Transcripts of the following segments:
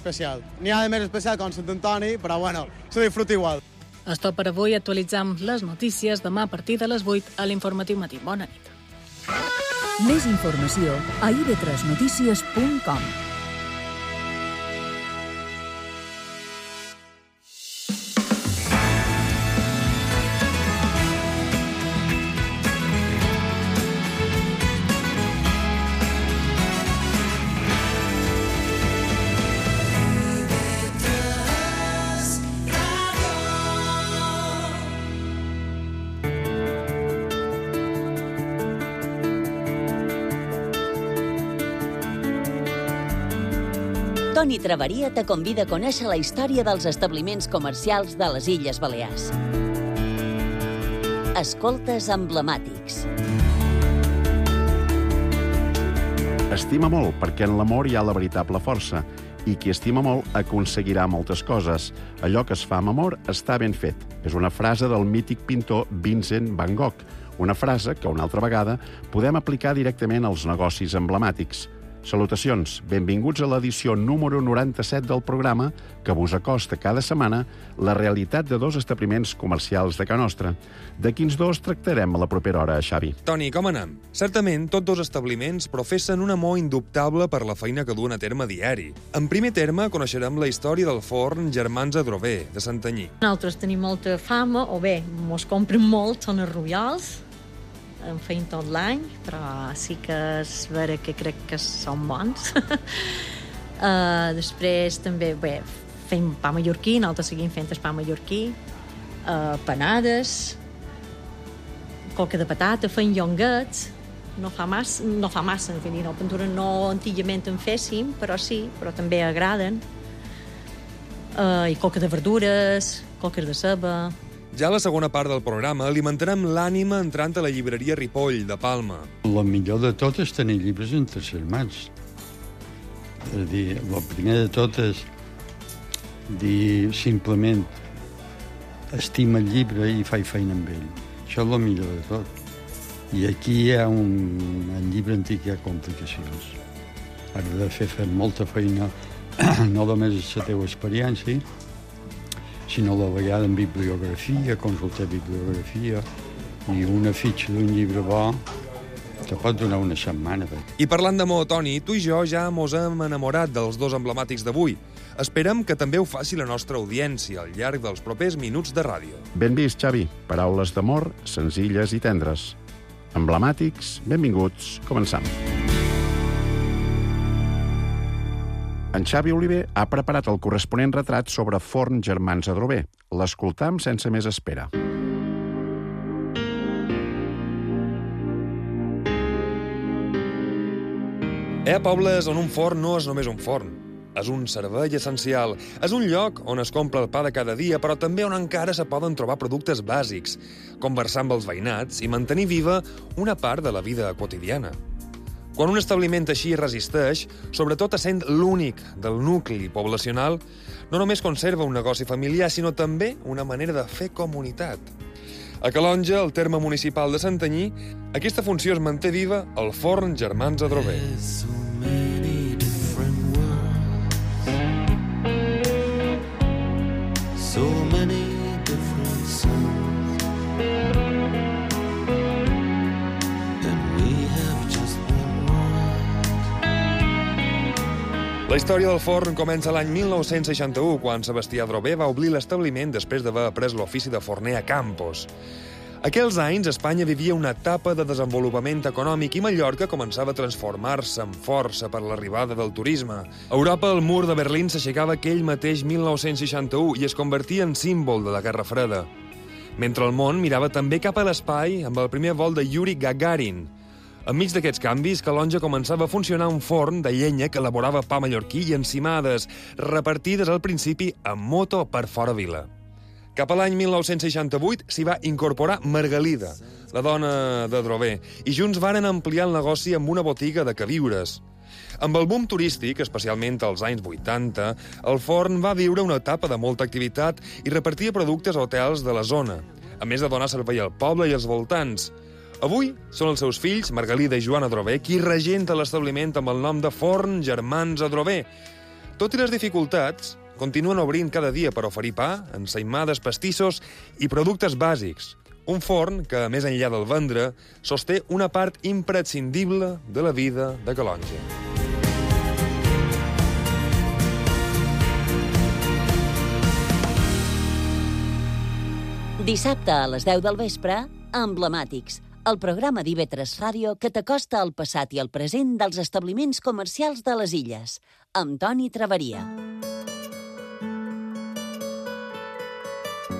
especial. N'hi ha de més especial com Sant Antoni, però bueno, se disfruta igual. És tot per avui. Actualitzam les notícies demà a partir de les 8 a l'Informatiu Matí. Bona nit. Més informació a ib3notícies.com. Toni Traveria te convida a conèixer la història dels establiments comercials de les Illes Balears. Escoltes emblemàtics. Estima molt, perquè en l'amor hi ha la veritable força. I qui estima molt aconseguirà moltes coses. Allò que es fa amb amor està ben fet. És una frase del mític pintor Vincent van Gogh. Una frase que, una altra vegada, podem aplicar directament als negocis emblemàtics. Salutacions, benvinguts a l'edició número 97 del programa que vos acosta cada setmana la realitat de dos establiments comercials de Ca Nostra. De quins dos tractarem a la propera hora, Xavi? Toni, com anem? Certament, tots dos establiments professen un amor indubtable per la feina que duen a terme diari. En primer terme, coneixerem la història del forn Germans Adrover, de Santanyí. Nosaltres tenim molta fama, o bé, mos compren molt, són els Royals, en feim tot l'any, però sí que és vera que crec que són bons. Després també fem pa mallorquí, nosaltres seguim fent el pa mallorquí, panades, coca de patata, fem llonguets, no fa massa, no, pintura no antigament en féssim, però sí, però també agraden. I coca de verdures, coques de ceba. Ja a la segona part del programa alimentarem l'ànima entrant a la llibreria Ripoll, de Palma. El millor de tot és tenir llibres entre les mans. És a dir, el primer de tot és dir simplement estima el llibre i faig feina amb ell. Això és el millor de tot. I aquí hi ha en llibre antic hi ha complicacions. Has de fer molta feina, no només la teva experiència, sinó la vegada en bibliografia, consultar bibliografia, i una fitxa d'un llibre bo te pot donar una setmana. I parlant d'amor, Toni, tu i jo ja mos hem enamorat dels dos emblemàtics d'avui. Esperem que també ho faci la nostra audiència al llarg dels propers minuts de ràdio. Ben vist, Xavi. Paraules d'amor, senzilles i tendres. Emblemàtics, benvinguts, començam. En Xavi Oliver ha preparat el corresponent retrat sobre Forn Germans Adrover. L'escoltam sense més espera. Hi ha pobles on un forn no és només un forn. És un servei essencial. És un lloc on es compra el pa de cada dia, però també on encara se poden trobar productes bàsics, conversar amb els veïnats i mantenir viva una part de la vida quotidiana. Quan un establiment així resisteix, sobretot essent l'únic del nucli poblacional, no només conserva un negoci familiar, sinó també una manera de fer comunitat. A Calonja, el terme municipal de Santanyí, aquesta funció es manté viva al forn Germans Adrover. La història del forn comença l'any 1961, quan Sebastià Adrover va obrir l'establiment després d'haver après l'ofici de forner a Campos. Aquells anys, Espanya vivia una etapa de desenvolupament econòmic i Mallorca començava a transformar-se amb força per l'arribada del turisme. A Europa, el mur de Berlín s'aixecava aquell mateix 1961 i es convertia en símbol de la Guerra Freda. Mentre el món mirava també cap a l'espai amb el primer vol de Yuri Gagarin. Enmig d'aquests canvis, Calonja començava a funcionar un forn de llenya que elaborava pa mallorquí i encimades, repartides al principi amb moto per fora vila. Cap a l'any 1968 s'hi va incorporar Margalida, la dona d'Adrover, i junts varen ampliar el negoci amb una botiga de queviures. Amb el boom turístic, especialment als anys 80, el forn va viure una etapa de molta activitat i repartia productes a hotels de la zona, a més de donar servei al poble i als voltants. Avui són els seus fills, Margalida i Joan Adrover, qui regenta l'establiment amb el nom de Forn Germans Adrover. Tot i les dificultats, continuen obrint cada dia per oferir pa, ensaïmades, pastissos i productes bàsics. Un forn que, més enllà del vendre, sosté una part imprescindible de la vida de Calonge. Dissabte a les 10 del vespre, Emblemàtics, el programa d'IV3 Ràdio que t'acosta al passat i al present dels establiments comercials de les Illes, amb Toni Traveria.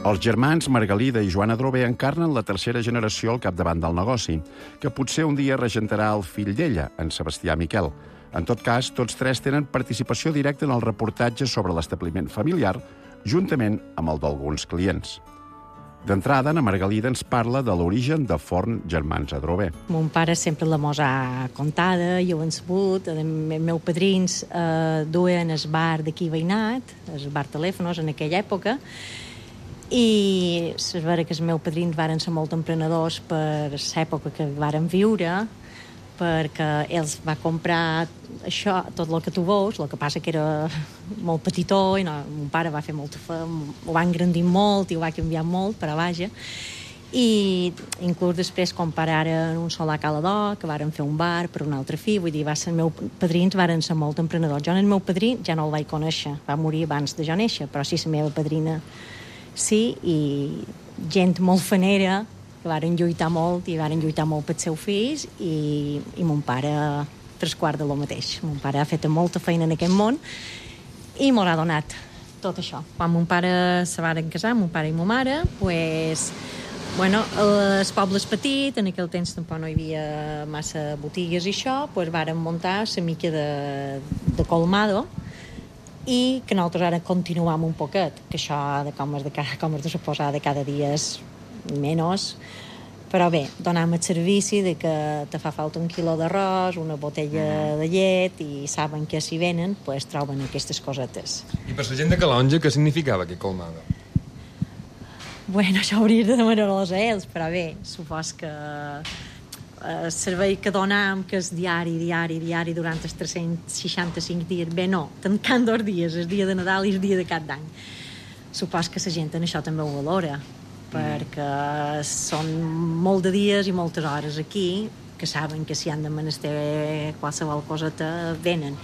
Els germans Margalida i Joan Adrover encarnen la tercera generació al capdavant del negoci, que potser un dia regentarà el fill d'ella, en Sebastià Miquel. En tot cas, tots tres tenen participació directa en el reportatge sobre l'establiment familiar, juntament amb el d'alguns clients. D'entrada, na Margalida ens parla de l'origen de Forn Germans Adrover. Mon pare sempre la mos ha contada, jo ho he sabut. Els meus padrins duen el bar d'aquí veïnat, el bar Telèfonos, en aquella època, i és vera que els meus padrins varen ser molt emprenedors per l'època que varen viure, perquè ells va comprar això, tot el que tu veus, el que passa que era molt petitó, i no, mon pare va fer molta ho va engrandir molt i ho va canviar molt, però vaja. I inclús després compararen un solar a Calador, que varen fer un bar per un altre fill, vull dir, els meus padrins varen ser molt emprenedors. Jo, el meu padrí, ja no el vaig conèixer, va morir abans de jo néixer, però sí, la meva padrina sí, i gent molt fanera, que varen lluitar molt pels seus fills, i mon pare tres quarts de lo mateix. Mon pare ha fet molta feina en aquest món i m'ho ha donat tot això. Quan mon pare se varen casar, mon pare i ma mare, pues, bueno, el poble és petit, en aquell temps tampoc no hi havia massa botigues i això, pues varen muntar la mica de colmado, i que nosaltres ara continuam un poquet, que això de com has de suposar de cada dia és menys, però bé, donem el servici de que te fa falta un quilo d'arròs, una botella de llet, i saben que si venen, pues, troben aquestes cosetes. I per la gent de Calonge, què significava aquest colmado? Bueno, això hauries de demanar-los a ells, però bé, supos que el servei que donam, que és diari, durant els 365 dies, bé, no, tancant 2 dies, el dia de Nadal i el dia de Cap d'Any. Supos que la gent en això també ho valora, perquè són molt de dies i moltes hores aquí, que saben que si han de menester qualsevol coseta, venen.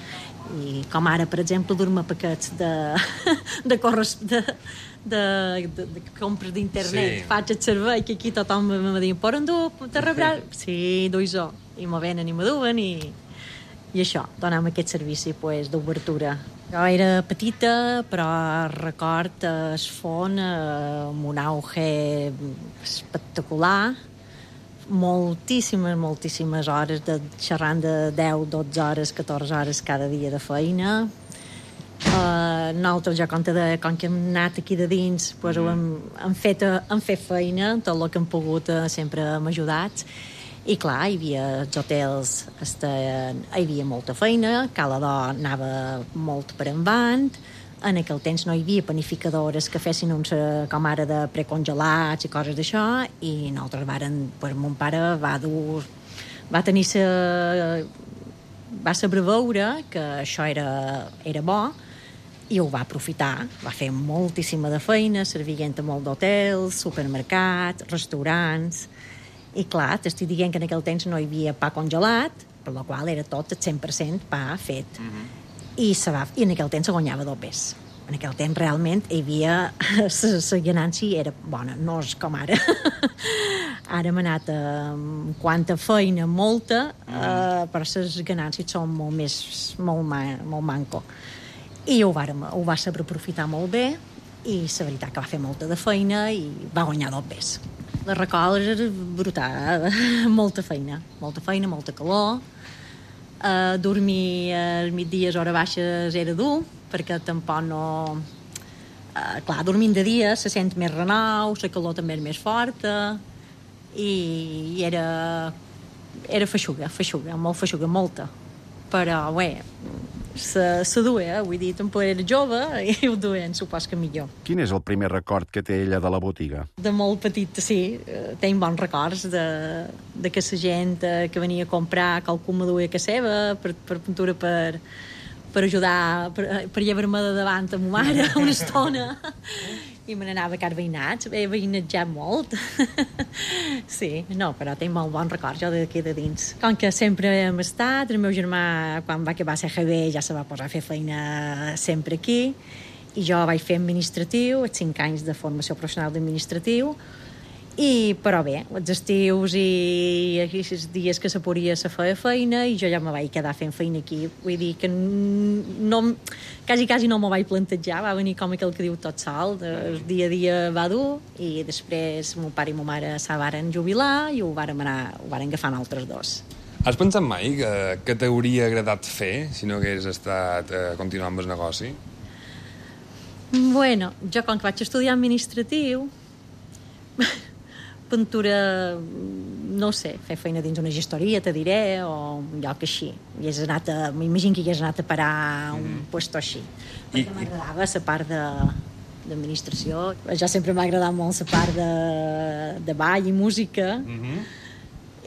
I com ara, per exemple, dur-me paquets de compres d'internet. Sí. Faig el servei, que aquí tothom me diu, poden dur, te rebrà? Sí, duis-ho. I me venen i me duen, i això, donem aquest servici pues, d'obertura. Jo era petita, però record el forn amb un auge espectacular, moltíssimes hores, xerrant de 10, 12 hores, 14 hores cada dia de feina. Nosaltres, com que hem anat aquí de dins, pues, hem fet feina, tot el que hem pogut sempre hem ajudat. I clar, hi havia els hotels, hi havia molta feina, Calador anava molt per endavant, en aquell temps no hi havia panificadores que fessin uns, com ara, de precongelats i coses d'això, i nosaltres mon pare va saber veure que això era bo, i ho va aprofitar, va fer moltíssima de feina, servient a molt d'hotels, supermercats, restaurants. I clar, t'estic dient que en aquell temps no hi havia pa congelat, per la qual era tot el 100% pa fet. I en aquell temps se guanyava dobbers. En aquell temps realment hi havia la ganància era bona, no és com ara. Ara hem anat amb quanta feina, molta, però les ganàncies són molt manco. I ho va saber aprofitar molt bé, i la veritat que va fer molta de feina i va guanyar dobbers. La record era brutal, molta feina, molta calor. Dormir als migdies, hores baixes, era dur, perquè tampoc no... Clar, dormint de dia se sent més renou, la calor també és més forta, i era feixuga, molt feixuga, molta. Però, bé, se duia, vull dir, tampoc era jove i ho duien, supos que millor. Quin és el primer record que té ella de la botiga? De molt petita, sí. Tenc bons records de que la gent que venia a comprar qualcú me duia a casa seva per pintura per per ajudar, per llevar-me de davant a ma mare una estona. I me n'anava a car veïnats, he veïnatjat molt. Sí, no, però tinc molt bon record jo d'aquí de dins. Com que sempre hem estat, el meu germà, quan va acabar a CGB, ja se va posar a fer feina sempre aquí, i jo vaig fer administratiu, 5 anys de formació professional d'administratiu, però bé, els estius i els dies que se podia se feia feina i jo ja me vaig quedar fent feina aquí. Vull dir que quasi no m'ho vaig plantejar, va venir com aquell que diu tot sol, el dia a dia va dur i després mon pare i ma mare se varen jubilar i ho varen agafar altres dos. Has pensat mai que t'hauria agradat fer si no hagués estat continuant amb el negoci? Bueno, jo com que vaig estudiar administratiu, pintura, no sé, fer feina dins una gestoria, te diré, o un lloc així. M'imagino que hi hagués anat a parar a un puesto així. Perquè m'agradava la part d'administració. Ja sempre m'ha agradat molt la part de ball i música.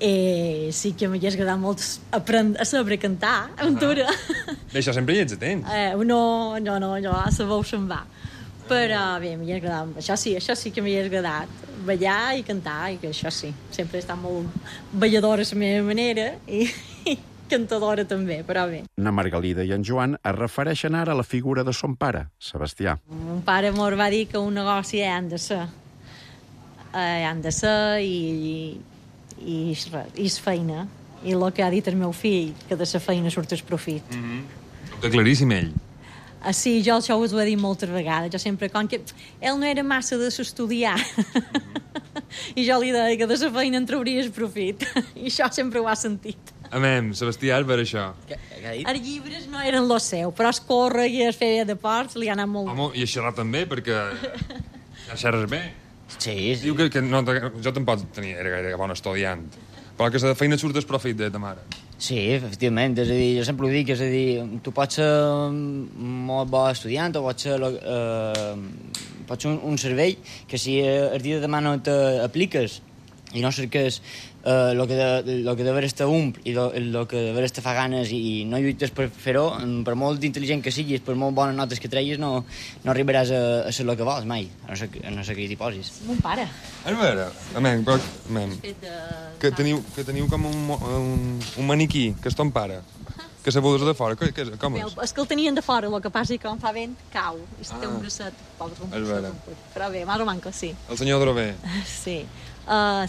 Sí que m'hagués agradat molt aprendre a saber cantar, aventura. D'això sempre hi ets atent. No, jo a la veu se'n va. Però bé, m'hi ha agradat. Això sí que m'hi ha agradat. Ballar i cantar, i que això sí. Sempre he estat molt balladora a la meva manera i cantadora també, però bé. Na Margalida i en Joan es refereixen ara a la figura de son pare, Sebastià. Mon pare m'ho va dir que un negoci han de ser. Han de ser i és feina. I el que ha dit el meu fill, que de la feina surt el profit. Ho té claríssim ell. Sí, jo això us ho he dit moltes vegades. Jo sempre, com que ell no era massa de s'estudiar, i jo li deia que de la feina en trauries profit. I això sempre ho ha sentit. Amem, Sebastià, és per això. Què ha dit? Els llibres no eren lo seu, però es córrer i es feia de ports li ha anat molt. Home, i a xerrar també, perquè ja xerres bé. Sí. Diu que no, jo tampoc era gaire bon estudiant, però que la feina surt el profit de ta mare. Sí, efectivament, és a dir, jo sempre ho dic, és a dir, tu pots ser molt bo estudiant o pots ser un cervell que si el dia de demà no t'apliques i no cerques el que de veres te omple i el que de veres te fa ganes i no lluites per fer-ho, per molt intel·ligent que siguis, per molt bones notes que treguis, no arribaràs a ser el que vols mai, a no ser que hi t'hi posis. Mon pare. A veure, que teniu com un maniquí, que és ton pare, que se vols de fora, com és? És que el tenien de fora, el que passa és que quan fa vent, cau, i té un bracet, però bé, más o manco, sí. El senyor Drover. Sí.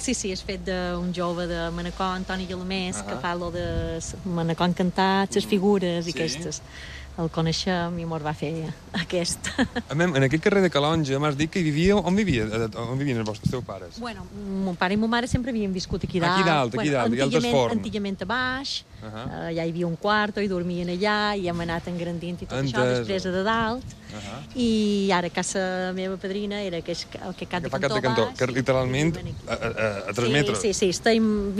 Sí, és fet d'un jove de Manacor, Antoni Guillemés, que fa lo de Manacor encantat, les figures i aquestes. El coneixem i mos va fer aquest. En aquest carrer de Calonja m'has dit que hi vivia... On vivien els teus pares? Bueno, mon pare i ma mare sempre havien viscut aquí dalt. Aquí dalt, hi ha altres forns. Antigament a baix, ja hi havia un quarto i dormien allà, i hem anat engrandint i tot això, després de dalt. I ara a casa meva padrina era el que cap de cantó baix. Que literalment a 3 metres. Sí,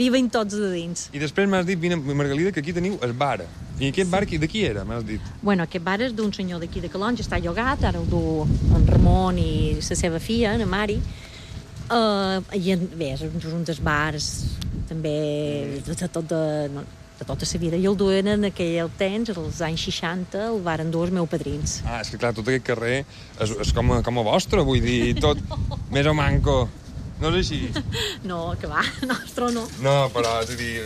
viven tots de dins. I després m'has dit, Margalida, que aquí teniu el bar. I aquest bar de qui era, m'has dit? Bueno, aquest bar és d'un senyor d'aquí de Calonja, està llogat, ara el du en Ramon i la seva filla, en Mari. I bé, és un dels bars també de tota la vida. I el duen en aquell temps, als anys 60, el varen dur els meus padrins. És que clar, tot aquest carrer és com a vostre, vull dir, tot més o manco. No és així? No, que va, nostre no. No, però és a dir,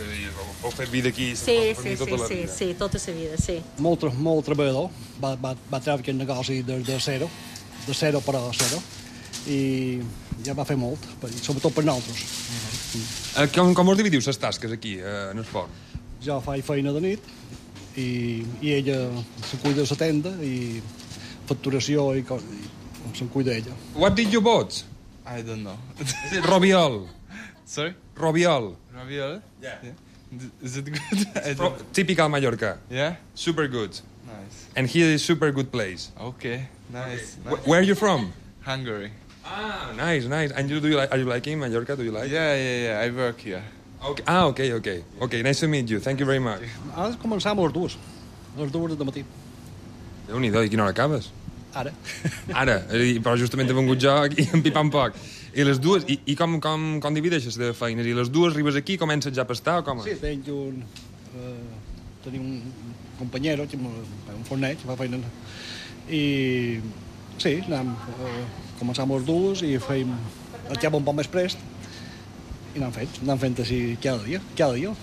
heu fet vida aquí tota la vida. Sí, tota la vida, sí. Molt treballador, va treure aquest negoci de zero per a zero, i ja va fer molt, sobretot per nosaltres. Com us dividiu les tasques aquí, en el forn? Jo faig feina de nit i ella se cuida de la tenda i facturació i se'n cuida ella. What did you bought? I don't know. Is it Robiol? Sorry? Robiol. Robiol? Yeah. Is it good? Typical Mallorca. Yeah? Super good. Nice. And here is super good place. Okay, nice. Where are you from? Hungary. Nice. And are you liking Mallorca? Do you like? Yeah. I work here. Okay. Okay, nice to meet you. Thank you very much. Ara començam a les 2 de matí. Déu-n'hi-do, i quina hora acabes? Ara, però justament he vengut jo aquí en pipant poc. I les dues, i com divideixes de feines? I les dues arribes aquí, comences ja a pastar o com? Sí, tenim companyero, un forner que fa feina. I sí, començàvem els dues i fèiem el cap un poc més prest i anàvem fent així cada dia,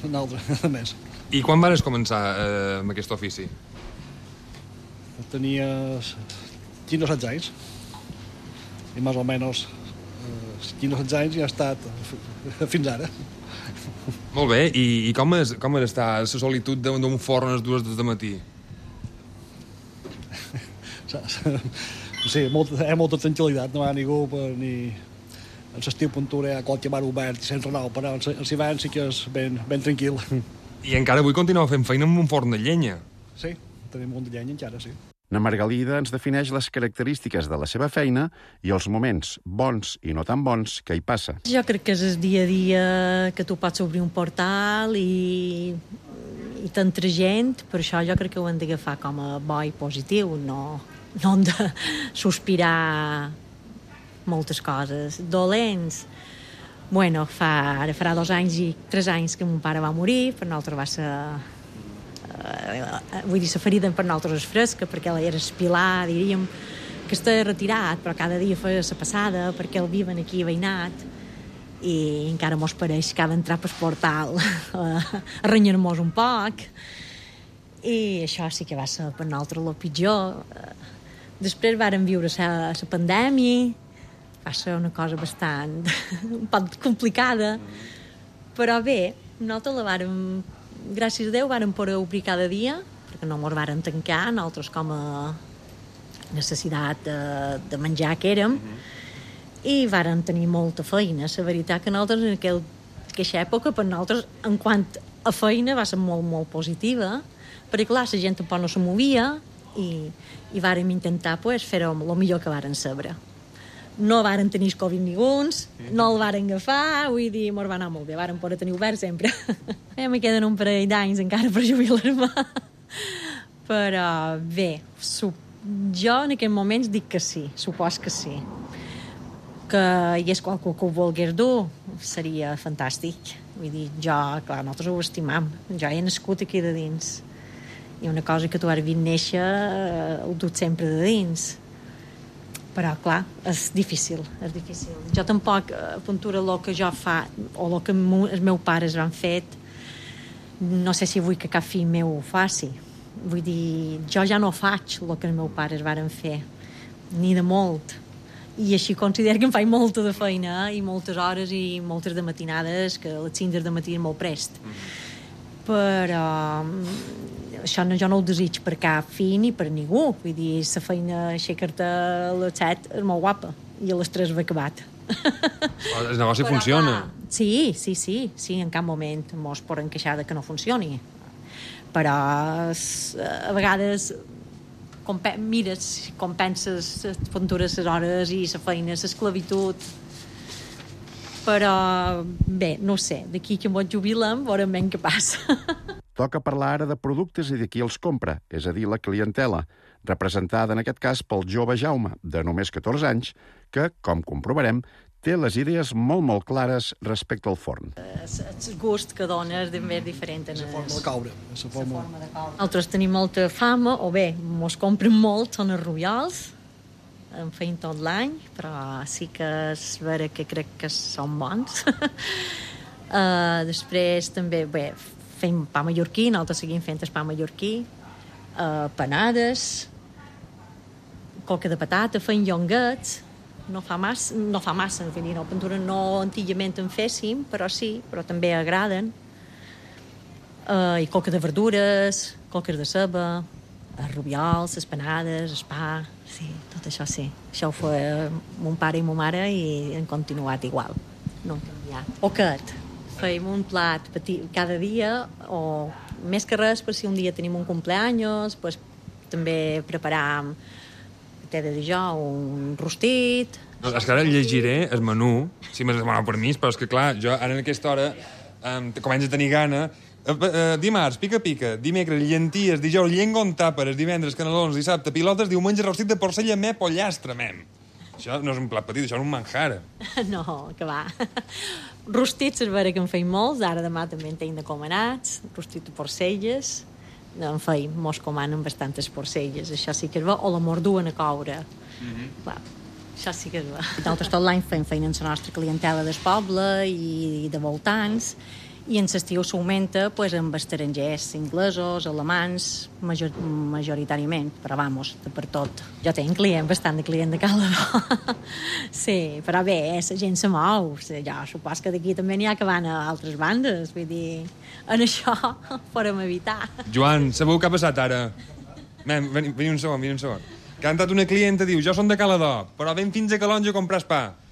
un altre més. I quan vas començar amb aquest ofici? Tenia 15 o 16 anys i més o menys 15 o 16 anys ja ha estat fins ara. Molt bé, i com és estar a la solitud d'un forn a les 2 del matí? Sí, molta tranquil·litat, no hi ha ningú ni... En l'estiu Puntura hi ha qualque bar obert i sense nou, però els hiverns sí que és ben tranquil. I encara avui continueu fent feina amb un forn de llenya. Sí, tenim un de llenya encara, sí. Na Margalida ens defineix les característiques de la seva feina i els moments bons i no tan bons que hi passa. Jo crec que és el dia a dia que tu pots obrir un portal i t'entra gent, per això jo crec que ho hem d'agafar com a bo i positiu, no hem de sospirar moltes coses. Dolents, bueno, ara farà 2 anys i 3 anys que mon pare va morir, per nosaltres va ser... vull dir, la ferida per nosaltres és fresca, perquè ell era espilar, diríem, que està retirat, però cada dia feia la passada, perquè el viven aquí veïnat, i encara mos pareix que ha d'entrar pel portal a renyar-mos un poc, i això sí que va ser per nosaltres el pitjor. Després vàrem viure la pandèmia, va ser una cosa bastant un poc complicada, però bé, nosaltres la vàrem, gràcies a Déu, vàrem poder obrir cada dia, perquè no ens vàrem tancar, nosaltres com a necessitat de menjar que érem, i vàrem tenir molta feina. La veritat que nosaltres en aquella època, per nosaltres, en quant a feina, va ser molt, molt positiva, perquè clar, la gent tampoc no se movia, i vàrem intentar fer-ho el millor que vàrem saber. No vàrem tenir Covid ninguns, no el vàrem agafar, vull dir, mos va anar molt bé, vàrem poder tenir obert sempre. Me queden un parell d'anys encara per jubilar-me, però bé, jo en aquests moments dic que sí, supos que sí. Que hi és qualcú que ho volgués dur, seria fantàstic. Vull dir, clar, nosaltres ho estimam, jo he nascut aquí de dins, i una cosa que tu has vist néixer ho dut sempre de dins. Però, clar, és difícil. Jo tampoc, a Puntura, el que jo fa, o el que els meus pares han fet, no sé si vull que cap fill meu ho faci. Vull dir, jo ja no faig el que els meus pares varen fer, ni de molt. I així considero que em faig molta de feina, i moltes hores i moltes de matinades, que les 5 de matí és molt prest. Però això jo no ho desig per cap fill ni per ningú. Vull dir, la feina aixecar-te a les 7 és molt guapa, i a les 3 va acabat. El negoci funciona. Sí, en cap moment mos poden queixar de que no funcioni. Però a vegades mires, com penses les Puntures, les hores i la feina, l'esclavitud. Però bé, no sé, d'aquí que ens jubilem veurem ben què passa. Toca parlar ara de productes i de qui els compra, és a dir, la clientela, representada en aquest cas pel jove Jaume, de només 14 anys, que, com comprovarem, té les idees molt clares respecte al forn. El gust que dona és ben diferent. La forma de coure. Nosaltres tenim molta fama, o bé, mos compren molt, són els rubiols, en feim tot l'any, però sí que és vera que crec que són bons. Després també, bé, fem pa mallorquí, nosaltres seguim fent el pa mallorquí, panades, coca de patata, fem llonguets, no fa massa, en fi, no, Puntura no antigament en féssim, però sí, però també agraden. I coca de verdures, coques de ceba, els rubiols, les panades, el pa, sí, tot això sí. Això ho feia mon pare i ma mare i han continuat igual, no han canviat. Poquet, fèiem un plat petit cada dia, o més que res, per si un dia tenim un cumpleaños, pues, també preparàvem, t'he de dir jo, un rostit... No, és que ara llegiré el menú, si m'has demanat permís, però és que, clar, jo ara en aquesta hora començo a tenir gana. Dimarts, pica, dimecres, llenties, dijous, llengua amb tàperes, divendres, canelons, dissabte, pilotes, diumenge, rostit de porcella, me, pollastre, mem. Això no és un plat petit, això és un manjar. No, que va. Rostits és vera que en feim molts, ara demà també en tenim de comanats, rostit de porcelles, en fi, mos comanen bastantes porcelles, això sí que és bo, o la morduen a coure. Clar, això sí que és bo. Nosaltres tot l'any fem feina en la nostra clientela del poble i de voltants, i en l'estiu s'augmenta pues, amb estrangers, inglesos, alemans, majoritàriament, però vamos, de per tot. Jo tinc bastant de client de Calador. Sí, però bé, la gent se mou. Jo supos que d'aquí també n'hi ha que van a altres bandes, vull dir, en això podem evitar. Joan, sabeu què ha passat ara? Veni un segon. Que ha entrat una clienta, diu, jo som de Calador, però ven fins a Calonja a comprar pa.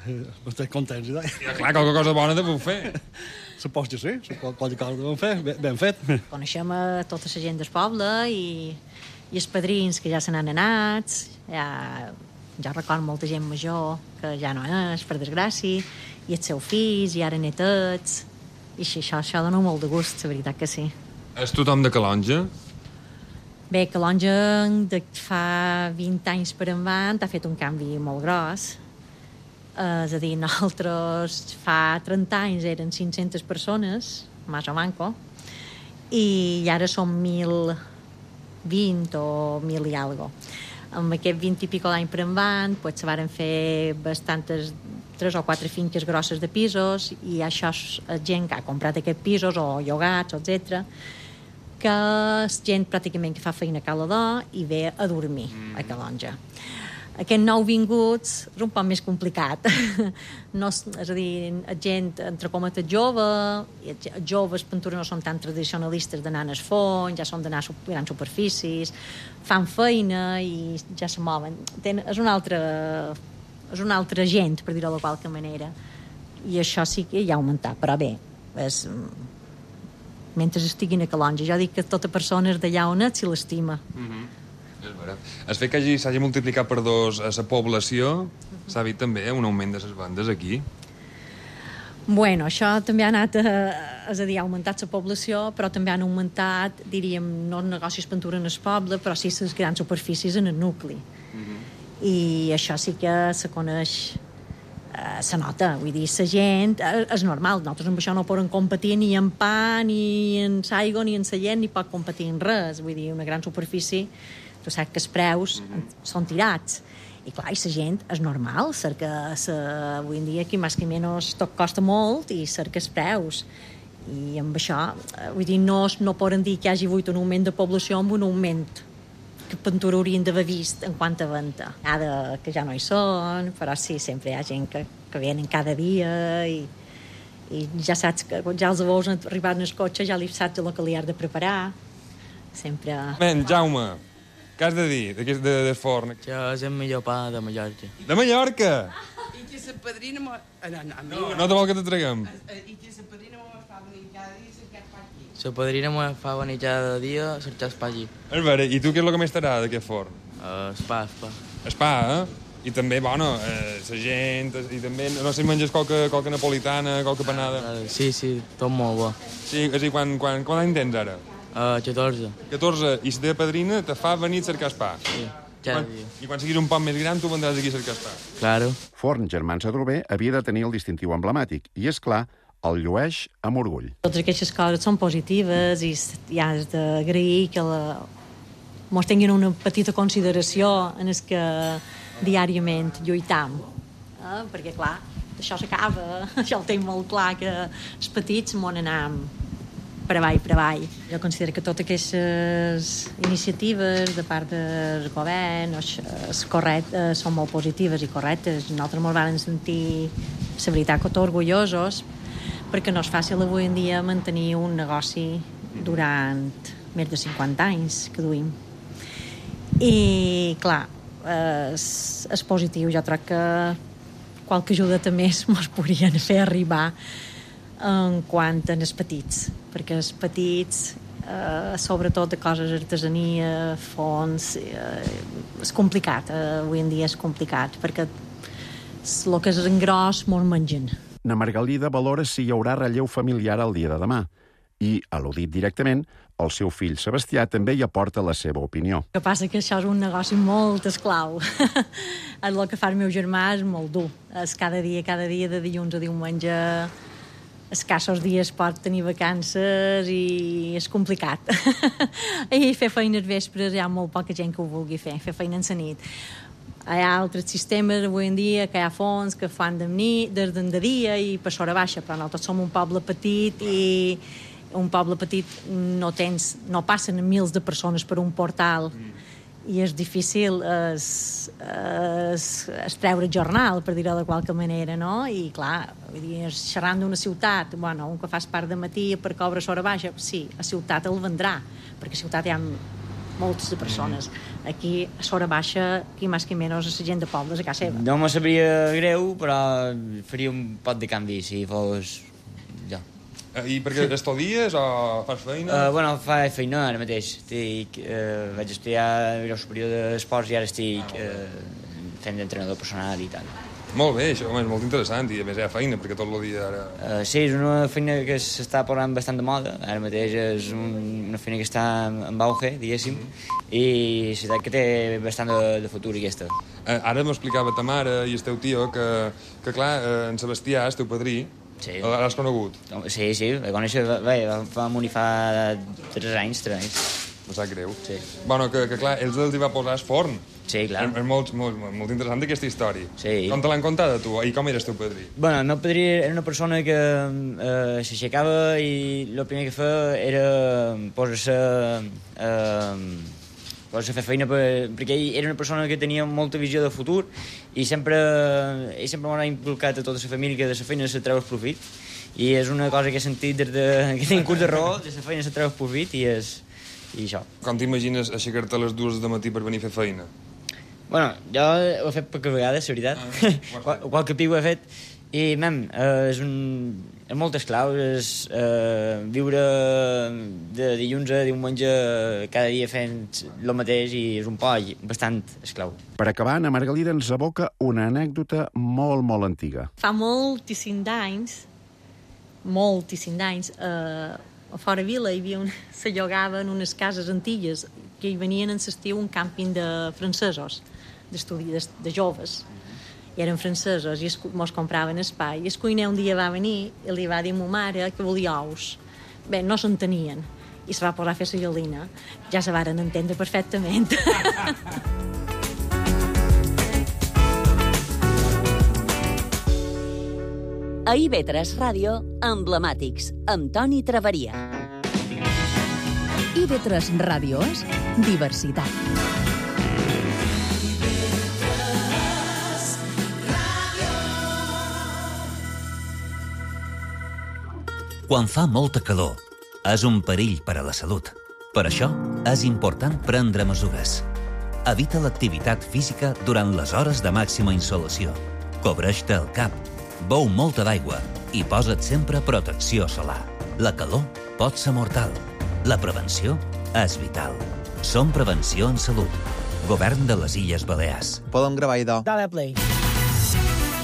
Estic contents, i ja, clar, qualque cosa bona te puc fer. Supos que sí, qualque cosa vam fer, ben fet. Coneixem a tota la gent del poble i els padrins que ja se n'han anat, ja recordo molta gent major que ja no és, per desgràcia, i els seus fills, i ara netets, i això dona molt de gust, la veritat que sí. És tothom de Calonja? Bé, Calonja de fa 20 anys per endavant ha fet un canvi molt gros. És a dir, nosaltres fa 30 anys eren 500 persones, més o manco, i ara som 1.020 o 1.000 i algo. Amb aquest 20 i pico d'any per endavant, pues, se varen fer bastantes 3 o 4 finques grosses de pisos, i això és gent que ha comprat aquests pisos o llogats, etc., que és gent pràcticament que fa feina a Calador i ve a dormir a Calonja. Aquest nou vinguts és un poc més complicat. No, és a dir, gent, entre cometes, jove, joves, pintura no són tan tradicionalistes d'anar al fons, ja són d'anar a grans superfícies, fan feina i ja se mouen. És una altra gent, per dir-ho de qualque manera. I això sí que ja ha augmentat, però bé, mentre estiguin a Calonja, jo dic que tota persona és d'allà on ets si l'estima. El fet que s'hagi multiplicat per 2 a la població s'ha vist també un augment de les vendes aquí? Bueno, això també ha anat, és a dir, ha augmentat la població, però també han augmentat, diríem, no els negocis pintura en el poble, però sí les grans superfícies en el nucli. I això sí que se coneix, se nota, vull dir, la gent, és normal, nosaltres amb això no podem competir ni en pa, ni en l'aigua, ni en la gent, ni pot competir en res, vull dir, una gran superfície, tu saps que els preus són tirats. I clar, la gent és normal, cerca, avui en dia aquí més que menys tot costa molt i cerca els preus. I amb això, vull dir, no poden dir que hi hagi hagut un augment de població amb un augment que pintura haurien d'haver vist en quant a venda. Ara que ja no hi són, però sí, sempre hi ha gent que venen cada dia i ja saps que quan ja els veus arribar en el cotxe ja li saps el que li has de preparar. Sempre... Jaume, què has de dir de forn? Que és el millor pa de Mallorca. De Mallorca? I que la padrina... No te vol que te traguem. I que la padrina me fa venir cada dia i cercar pa aquí. La padrina me fa venir cada dia a cercar pa allí. És vera, i tu què és el que més t'agrada d'aquest forn? El pa. El pa, I també, bueno, la gent, i també, no sé si menges qualque napolitana, qualque panada. Sí, tot molt bo. Sí, és a dir, quant any tens ara? 14. 14, i la teva padrina te fa venir a cercar el pa. Sí, cada dia. I quan siguis un poc més gran, tu vendràs aquí a cercar el pa. Claro. Forn Germans Adrover havia de tenir el distintiu emblemàtic, i, és clar, el llueix amb orgull. Totes aquestes coses són positives i has d'agrair que mos tinguin una petita consideració en el que diàriament lluitam. Perquè, clar, això s'acaba. Això ho tinc molt clar, que els petits m'ho anam per avall. Jo considero que totes aquestes iniciatives de part del govern són molt positives i correctes. Nosaltres ens vam sentir, la veritat, que orgullosos, perquè no és fàcil avui en dia mantenir un negoci durant més de 50 anys que duim. I, clar, és positiu. Jo crec que qualque ajuda també ens podrien fer arribar en quant als petits, perquè els petits, sobretot de coses d'artesania, fons, és complicat, avui en dia és complicat, perquè el que és en gros molt mengen. Na Margalida valora si hi haurà relleu familiar el dia de demà i, al·ludit directament, el seu fill Sebastià també hi aporta la seva opinió. El que passa que això és un negoci molt esclau. El que fa el meu germà és molt dur. És cada dia, de dilluns a diumenge, escassos dies pot tenir vacances i és complicat. I fer feina als vespres hi ha molt poca gent que ho vulgui fer feina en la nit. Hi ha altres sistemes avui en dia que hi ha fons que fan de dia i per l'hora baixa, però nosaltres som un poble petit i un poble petit no passen mils de persones per un portal i és difícil treure jornal, per dir-ho de qualque manera, no? I clar, xerrant d'una ciutat, bueno, un que fas part de matí per cobra l'hora baixa, sí, a ciutat el vendrà, perquè a ciutat hi ha moltes de persones. Aquí, a l'hora baixa, qui més que menys, la gent de pobles a casa seva. No me sabria greu, però faria un pot de canvi si fos jo. I perquè estudies o fas feina? Bueno, faig feina ara mateix. Vaig estudiar grau superior d'esports i ara estic fent d'entrenador personal i tal. Molt bé, això és molt interessant i a més hi ha feina perquè tot el dia ara... Sí, és una feina que s'està posant bastant de moda. Ara mateix és una feina que està en auge, diguéssim, i és veritat que té bastant de futur aquesta. Ara m'explicava ta mare i el teu tio que clar, en Sebastià, el teu padrí, sí. L'has conegut? Sí, el conèixer, va morir fa 3 anys. No sap greu. Sí. Bueno, que clar, ells els hi va posar el forn. Sí, clar. És molt interessant aquesta història. Sí. Com te l'han contat a tu? I com eres teu padrí? Bueno, el meu padrí era una persona que s'aixecava i el primer que feia era posar-se a fer feina perquè ell era una persona que tenia molta visió de futur i sempre m'ha inculcat a tota la família que de la feina se treu el profit i és una cosa que he sentit des que tinc curs de raó, de la feina se treu el profit i això. Com t'imagines aixecar-te a les 2 de matí per venir a fer feina? Bueno, jo ho he fet poques vegades, la veritat. Qualque pic ho he fet i, és molt esclau, viure de dilluns a diumenge cada dia fent el mateix i és un poll bastant esclau. Per acabar, Anna Margalida ens aboca una anècdota molt, molt antiga. Fa moltíssim d'anys, a fora vila hi havia se llogaven unes cases antigues que hi venien en l'estiu un càmping de francesos, de joves. I eren francesos i mos compraven espai. I el cuiner un dia va venir i li va dir a ma mare que volia ous. Bé, no s'entenien. I se va posar a fer la gallina. Ja se varen entendre perfectament. A IB3 Ràdio, Emblemàtics, amb Toni Traveria. IB3 Ràdio és diversitat. Quan fa molta calor, és un perill per a la salut. Per això, és important prendre mesures. Evita l'activitat física durant les hores de màxima insolació. Cobreix-te el cap, beu molta d'aigua i posa't sempre protecció solar. La calor pot ser mortal. La prevenció és vital. Som Prevenció en Salut. Govern de les Illes Balears. Podem gravar, idò. Dale play.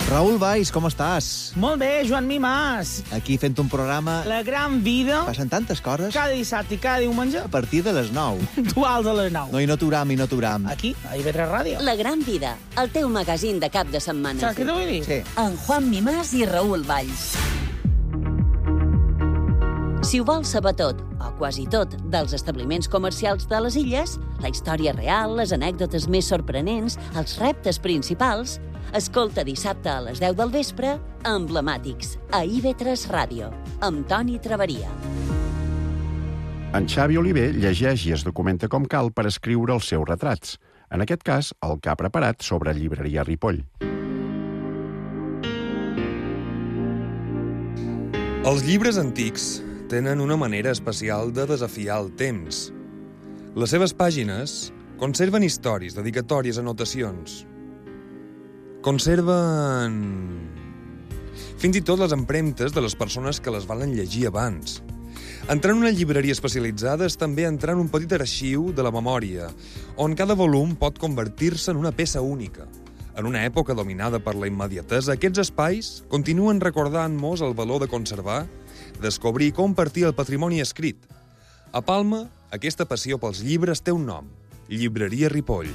Raül Valls, com estàs? Molt bé, Joan Mimàs. Aquí fent un programa... La gran vida. Passen tantes coses. Cada dissabte i cada diumenge. A partir de les 9. Duals a les 9. No, i no t'uram. Aquí, a IB3 Ràdio. La gran vida, el teu magazín de cap de setmana. Saps què t'ho vull dir? Sí. En Juan Mimàs i Raül Valls. Si ho vols saber tot, o quasi tot, dels establiments comercials de les illes, la història real, les anècdotes més sorprenents, els reptes principals, escolta dissabte a les 10 del vespre Emblemàtics, a IB3 Ràdio, amb Toni Traveria. En Xavi Oliver llegeix i es documenta com cal per escriure els seus retrats. En aquest cas, el que ha preparat sobre llibreria Ripoll. Els llibres antics tenen una manera especial de desafiar el temps. Les seves pàgines conserven històries, dedicatòries, anotacions. Conserven fins i tot les empremtes de les persones que les valen llegir abans. Entrar en una llibreria especialitzada és també entrar en un petit arxiu de la memòria, on cada volum pot convertir-se en una peça única. En una època dominada per la immediatesa, aquests espais continuen recordant-nos el valor de conservar, descobrir i compartir el patrimoni escrit. A Palma, aquesta passió pels llibres té un nom: Llibreria Ripoll.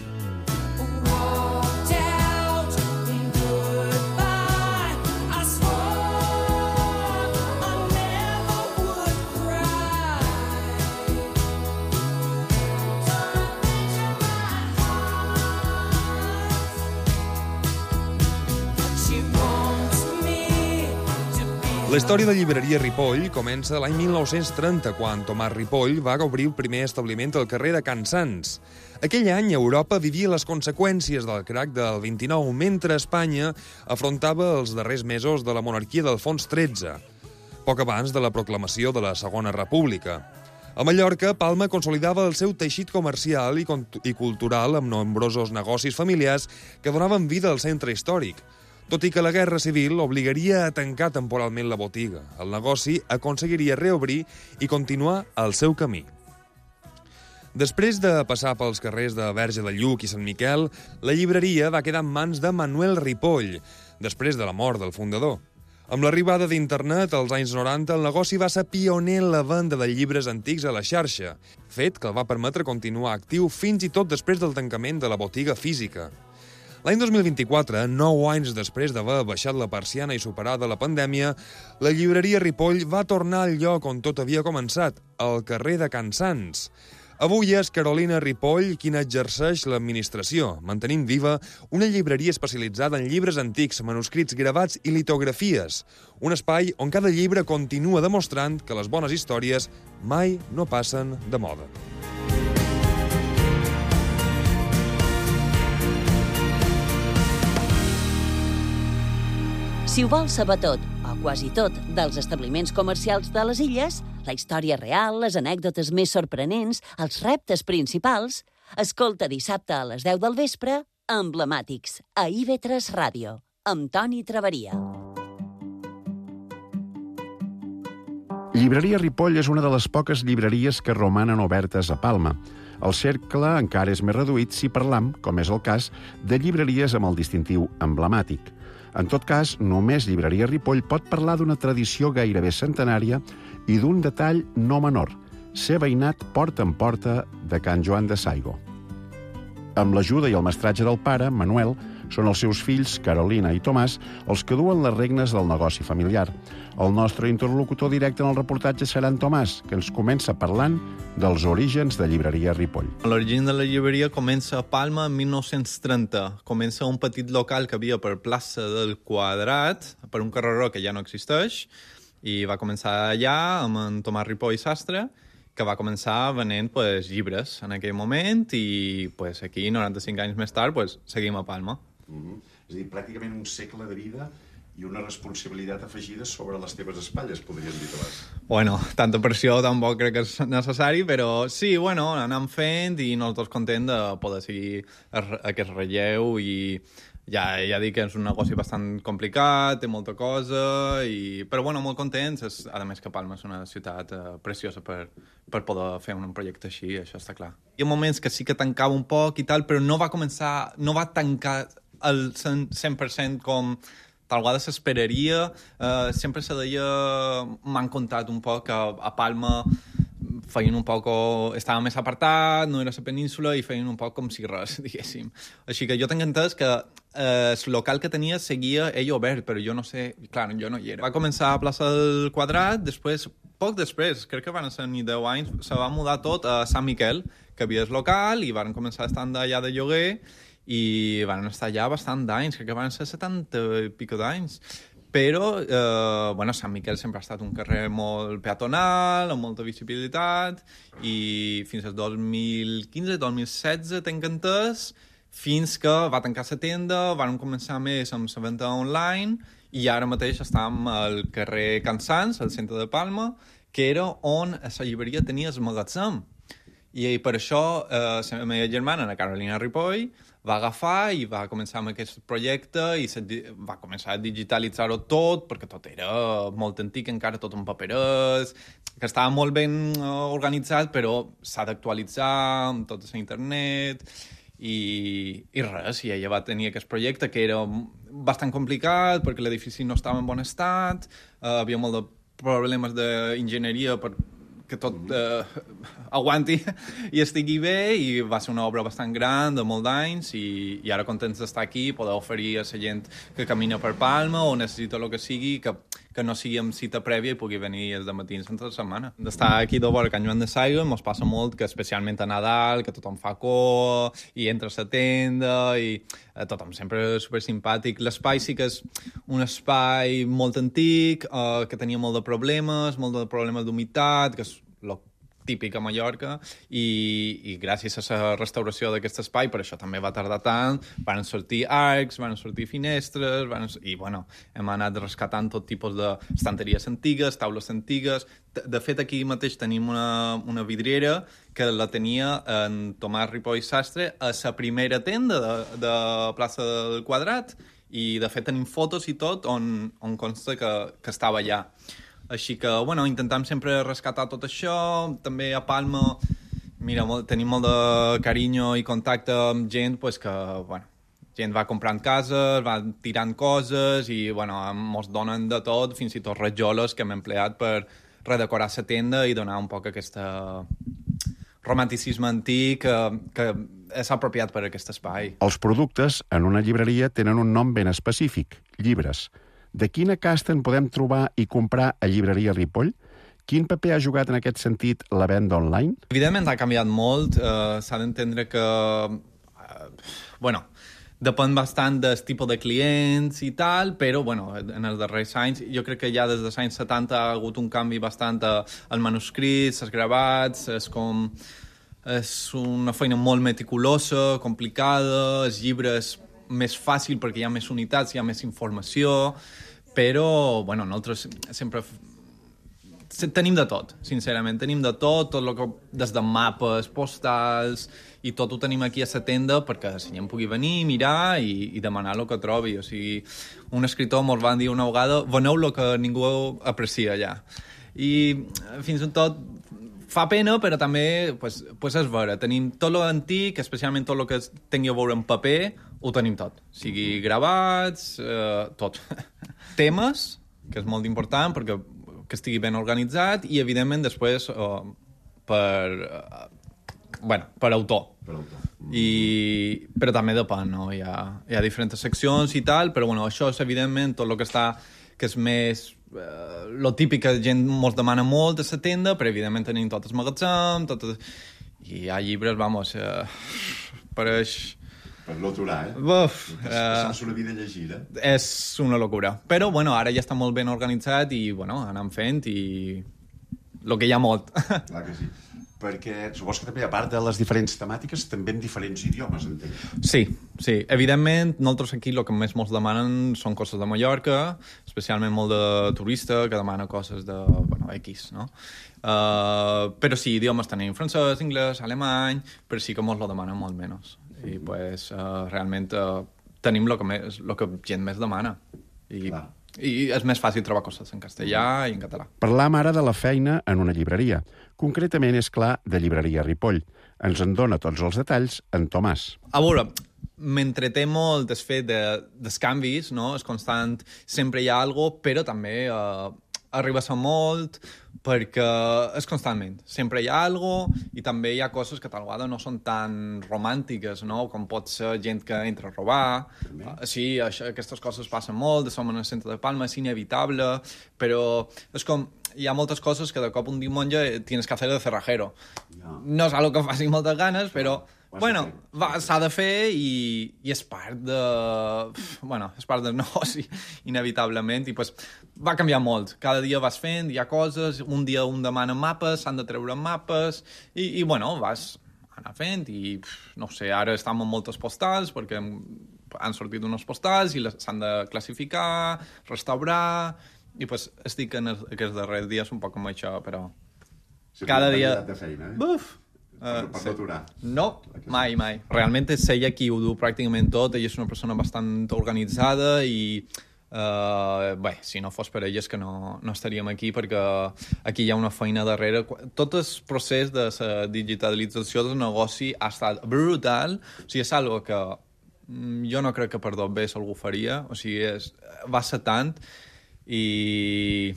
La història de llibreria Ripoll comença l'any 1930, quan Tomàs Ripoll va obrir el primer establiment al carrer de Can Sants. Aquell any, Europa vivia les conseqüències del crac del 29, mentre Espanya afrontava els darrers mesos de la monarquia d'Alfons XIII, poc abans de la proclamació de la Segona República. A Mallorca, Palma consolidava el seu teixit comercial i cultural amb nombrosos negocis familiars que donaven vida al centre històric. Tot i que la Guerra Civil obligaria a tancar temporalment la botiga, el negoci aconseguiria reobrir i continuar el seu camí. Després de passar pels carrers de Verge de Lluc i Sant Miquel, la llibreria va quedar en mans de Manuel Ripoll, després de la mort del fundador. Amb l'arribada d'internet als anys 90, el negoci va ser pioner en la venda de llibres antics a la xarxa, fet que el va permetre continuar actiu fins i tot després del tancament de la botiga física. L'any 2024, 9 anys després d'haver baixat la persiana i superada la pandèmia, la llibreria Ripoll va tornar al lloc on tot havia començat, al carrer de Can Sants. Avui és Carolina Ripoll qui n'exerceix l'administració, mantenint viva una llibreria especialitzada en llibres antics, manuscrits gravats i litografies, un espai on cada llibre continua demostrant que les bones històries mai no passen de moda. Si ho vols saber tot, o quasi tot, dels establiments comercials de les illes, la història real, les anècdotes més sorprenents, els reptes principals, escolta dissabte a les 10 del vespre, Emblemàtics, a IB3 Ràdio, amb Toni Traveria. Llibreria Ripoll és una de les poques llibreries que romanen obertes a Palma. El cercle encara és més reduït si parlam, com és el cas, de llibreries amb el distintiu emblemàtic. En tot cas, només Llibreria Ripoll pot parlar d'una tradició gairebé centenària i d'un detall no menor, ser veïnat porta en porta de Can Joan de Saigo. Amb l'ajuda i el mestratge del pare, Manuel, són els seus fills, Carolina i Tomàs, els que duen les regnes del negoci familiar. El nostre interlocutor directe en el reportatge serà en Tomàs, que ens comença parlant dels orígens de Llibreria Ripoll. L'origen de la llibreria comença a Palma en 1930. Comença un petit local que havia per plaça del Quadrat, per un carreró que ja no existeix, i va començar allà amb en Tomàs Ripoll Sastre, que va començar venent llibres en aquell moment i aquí, 95 anys més tard, seguim a Palma. És a dir, pràcticament un segle de vida i una responsabilitat afegida sobre les teves espatlles, podríem dir, Tomàs. Bueno, tanta pressió tampoc crec que és necessari, però sí, anem fent i nosaltres contents de poder seguir aquest relleu i ja dic que és un negoci bastant complicat, té molta cosa, però molt contents. A més que Palma és una ciutat preciosa per poder fer un projecte així, això està clar. Hi ha moments que sí que tancava un poc i tal, però no va tancar al 100% com tal vegada s'esperaria. Sempre se deia, m'han contat un poc que a Palma feien un poc, estava més apartat, no era la península, i feien un poc com si res, diguéssim. Així que jo tinc entès que el local que tenia seguia ell obert, però jo no sé, clar, jo no hi era. Va començar a plaça del Quadrat, poc després, crec que van ser ni 10 anys, se va mudar tot a Sant Miquel, que havia el local, i van començar a estar allà de lloguer, i van estar allà bastant d'anys, crec que van ser 70 i pico d'anys. Però, Sant Miquel sempre ha estat un carrer molt peatonal, amb molta visibilitat, i fins al 2015-2016, tenc entès, fins que va tancar la tenda, van començar més amb la venda online, i ara mateix estem al carrer Can Sants, al centre de Palma, que era on la llibreria tenia el magatzem. I per això la meva germana, la Carolina Ripoll, va agafar i va començar amb aquest projecte i va començar a digitalitzar-ho tot, perquè tot era molt antic, encara tot en paperers, que estava molt ben organitzat, però s'ha d'actualitzar amb tot a internet i res. I ella va tenir aquest projecte que era bastant complicat perquè l'edifici no estava en bon estat, havia molts de problemes d'enginyeria que tot aguanti i estigui bé, i va ser una obra bastant gran, de molt d'anys, i ara contents d'estar aquí, poder oferir a la gent que camina per Palma o necessita el que sigui, que que no sigui amb cita prèvia i pugui venir els matins entre la setmana. D'estar aquí de vora Can Joan de Saiga mos passa molt que especialment a Nadal, que tothom fa cua i entra a la tenda i tothom sempre super simpàtic. L'espai sí que és un espai molt antic, que tenia molt de problemes d'humitat, que és lo típic a Mallorca, i gràcies a la restauració d'aquest espai, per això també va tardar tant, van sortir arcs, van sortir finestres, i bueno, hem anat rescatant tot tipus d'estanteries antigues, taules antigues. De fet, aquí mateix tenim una vidriera que la tenia en Tomàs Ripoll Sastre a la primera tenda de plaça del Quadrat, i de fet tenim fotos i tot on consta que estava allà. Així que, bueno, intentem sempre rescatar tot això. També a Palma, mira, tenim molt de carinyo i contacte amb gent que, bueno, gent va comprant cases, va tirant coses i, bueno, mos donen de tot, fins i tot rajoles que hem empleat per redecorar la tenda i donar un poc aquest romanticisme antic que és apropiat per aquest espai. Els productes en una llibreria tenen un nom ben específic, llibres. De quina casta en podem trobar i comprar a Llibreria Ripoll? Quin paper ha jugat en aquest sentit la venda online? Evidentment ha canviat molt. S'ha d'entendre que bueno, depèn bastant del tipus de clients i tal, però bueno, en els darrers anys, jo crec que ja des dels anys 70 ha hagut un canvi bastant al manuscrit, als gravats, és una feina molt meticulosa, complicada, els llibres més fàcil perquè hi ha més unitats, hi ha més informació, però bueno, nosaltres sempre tenim de tot, sincerament, tenim de tot el que, des de mapes, postals, i tot ho tenim aquí a la tenda perquè la gent pugui venir, mirar i demanar el que trobi. O sigui, un escriptor ens va dir una vegada, veneu el que ningú aprecia allà. I fins i tot fa pena, però també pues és vera. Tenim tot l'antic, especialment tot el que tingui a veure en paper, ho tenim tot. O sigui, gravats, tot. Temes, que és molt important, perquè que estigui ben organitzat, i, evidentment, després per autor. Però també depèn, no? Hi ha diferents seccions i tal, però bueno, això és, evidentment, tot el que està, que és més lo típic que la gent ens demana molt a la tenda, però evidentment tenim tot el magatzem, i hi ha llibres, vamos, pareix... Per l'aturar, passar-se una vida llegida. És una locura. Però, bueno, ara ja està molt ben organitzat i, bueno, anem fent i el que hi ha molt. Clar que sí. Perquè supos que també, a part de les diferents temàtiques, també en diferents idiomes, entenc. Sí. Evidentment, nosaltres aquí el que més ens demanen són coses de Mallorca, especialment molt de turista, que demana coses de, X, no? Però sí, idiomes tenim francès, anglès, alemany, però sí que ens lo demanen molt menys. I, pues, realment tenim el que gent més demana. I és més fàcil trobar coses en castellà i en català. Parlam ara de la feina en una llibreria. Concretament, és clar, de Llibreria Ripoll. Ens en dona tots els detalls en Tomàs. A veure, m'entreté molt el fet dels canvis, no? És constant, sempre hi ha alguna cosa, però també arriba a ser molt, perquè és constantment. Sempre hi ha alguna cosa, i també hi ha coses que tal vegada no són tan romàntiques, no? Com pot ser gent que entra a robar. Sí, aquestes coses passen molt, som en el centre de Palma, és inevitable, però és com... Hi ha moltes coses que de cop un diumenge tienes que hacer de cerrajero. No és algo que faci moltes ganes, però... Bueno, s'ha de fer i és part de... és part del negoci, inevitablement, i pues, va canviar molt. Cada dia vas fent, hi ha coses, un dia un demana mapes, s'han de treure mapes, i vas anar fent, i no sé, ara estem amb moltes postals, perquè han sortit unes postals i s'han de classificar, restaurar, i pues estic en aquests darrers dies un poc amb això, però cada dia... de feina, Buf! Per no aturar. No, mai. Realment és ella qui ho du pràcticament tot. Ella és una persona bastant organitzada i, si no fos per ella és que no estaríem aquí, perquè aquí hi ha una feina darrere. Tot el procés de la digitalització del negoci ha estat brutal. O sigui, és algo que jo no crec que per dos bé algú faria. O sigui, va ser tant i...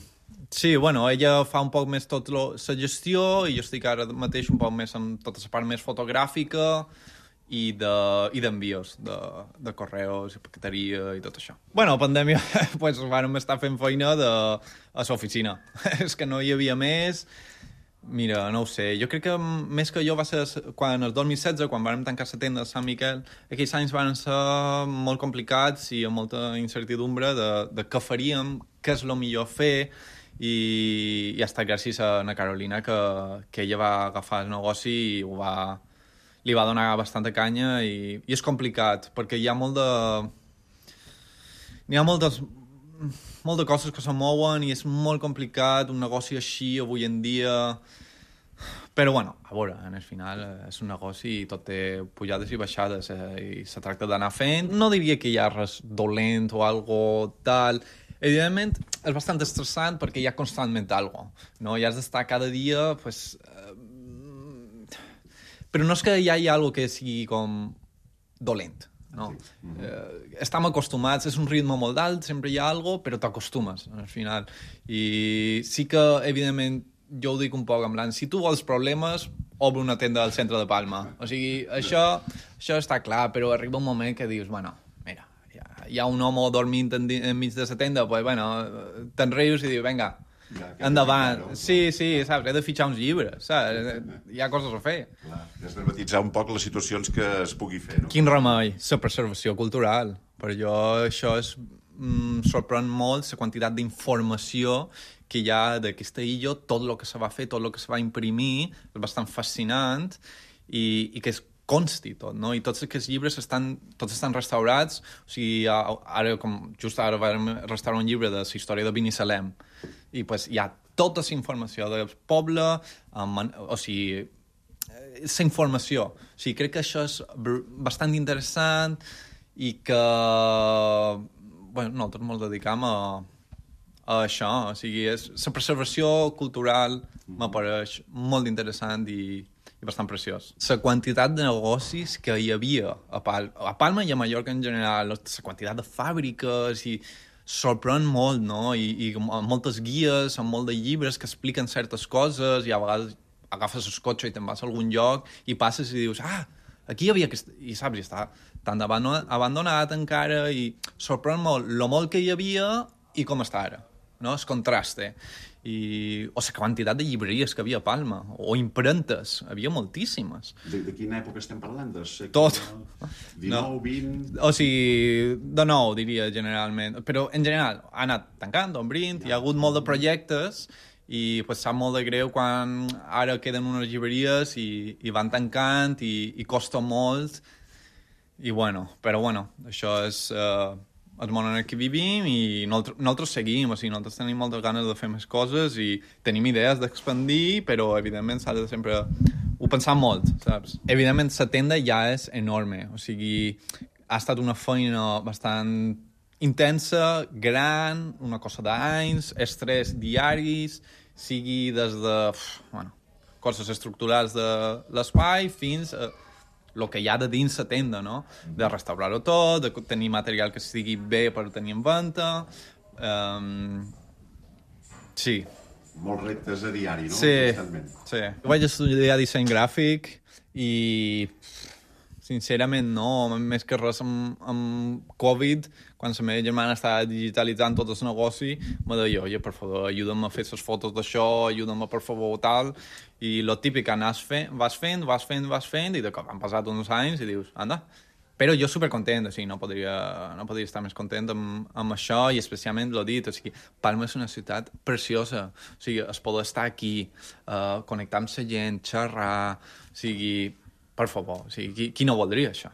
Sí, ella fa un poc més la gestió i jo estic ara mateix un poc més amb tota la part més fotogràfica i d'envios de correus i paqueteria i tot això. Bueno, a pandèmia pues, vam estar fent feina a l'oficina. És que no hi havia més. Mira, no ho sé. Jo crec que més que jo va ser quan el 2016, quan vam tancar la tenda de Sant Miquel, aquells anys van ser molt complicats i amb molta incertidumbre de què faríem, què és el millor fer, i ha estat gràcies a Ana Carolina que ella va agafar el negoci i li va donar bastanta canya i és complicat perquè hi ha moltes coses que se mouen i és molt complicat un negoci així avui en dia, però bueno, a veure, en el final és un negoci i tot té pujades i baixades i se tracta d'anar fent. No diria que hi ha res dolent o algo tal. Evidentment, és bastant estressant perquè hi ha constantment algo, no? I has d'estar cada dia, pues, però no és que hi hagi algo que sigui com dolent, no? Estem acostumats, és un ritme molt alt, sempre hi ha algo, però t'acostumes, al final. I sí que, evidentment, jo ho dic un poc en plan, si tu vols problemes, obre una tenda al centre de Palma. O sigui, això està clar, però arriba un moment que dius, bueno, mira, hi ha un home dormint enmig de la tenda, pues, bueno, te'n rius i dius, vinga, endavant. Sí, saps? He de fitxar uns llibres, saps? Hi ha coses a fer. Clar, desdramatitzar un poc les situacions que es pugui fer, no? Quin remei? La preservació cultural. Per jo això sorprèn molt la quantitat d'informació que hi ha d'aquesta illa, tot el que se va fer, tot el que se va imprimir, és bastant fascinant i que es consti tot, no? I tots aquests llibres tots estan restaurats, o sigui, just ara vam restaurar un llibre de la història de Binissalem, i pues, hi ha tota la informació del poble, o sigui, la informació. O sigui, crec que això és bastant interessant i que bueno, nosaltres ens dedicam a això, o sigui, la preservació cultural m'apareix molt interessant i bastant preciós. La quantitat de negocis que hi havia a Palma i a Mallorca en general, la quantitat de fàbriques i sorprèn molt, no? I moltes guies, amb molt de llibres que expliquen certes coses i a vegades agafes el cotxe i te'n vas a algun lloc i passes i dius, aquí hi havia aquest... I saps, i està tan abandonat encara i sorprèn molt lo molt que hi havia i com està ara, no? El contraste. O la quantitat de llibreries que havia a Palma, o impremtes, havia moltíssimes. De quina època estem parlant? Tot. 19, 20... O sigui, de nou, diria, generalment. Però, en general, ha anat tancant, obrint, hi ha hagut molt de projectes i pues, sap molt de greu quan ara queden unes llibreries i van tancant i costa molt. I bueno, però bueno, això és... el món en què vivim i nosaltres seguim, o sigui, nosaltres tenim moltes ganes de fer més coses i tenim idees d'expandir, però evidentment s'ha de sempre ho pensar molt, saps? Evidentment la tenda ja és enorme, o sigui, ha estat una feina bastant intensa, gran, una cosa d'anys, estrès diaris, sigui des de coses estructurals de l'espai fins a el que hi ha de dins la tenda, no? De restaurar-ho tot, de tenir material que estigui bé per tenir en venda. Sí. Molts reptes a diari, no? Sí. Vaig estudiar disseny gràfic i, sincerament, no. Més que res amb Covid, quan la meva germana estava digitalitzant tot el negoci, me deia, oye, per favor, ajuda'm a fer les fotos d'això, ajuda'm, per favor, tal... I lo típic, vas fent, i de cop han passat uns anys i dius, anda. Però jo supercontent, o sigui, no podria estar més content amb això, i especialment l'ho dit, o sigui, Palma és una ciutat preciosa, o sigui, es pot estar aquí, connectar amb la gent, xerrar, o sigui, per favor, o sigui, qui no voldria això?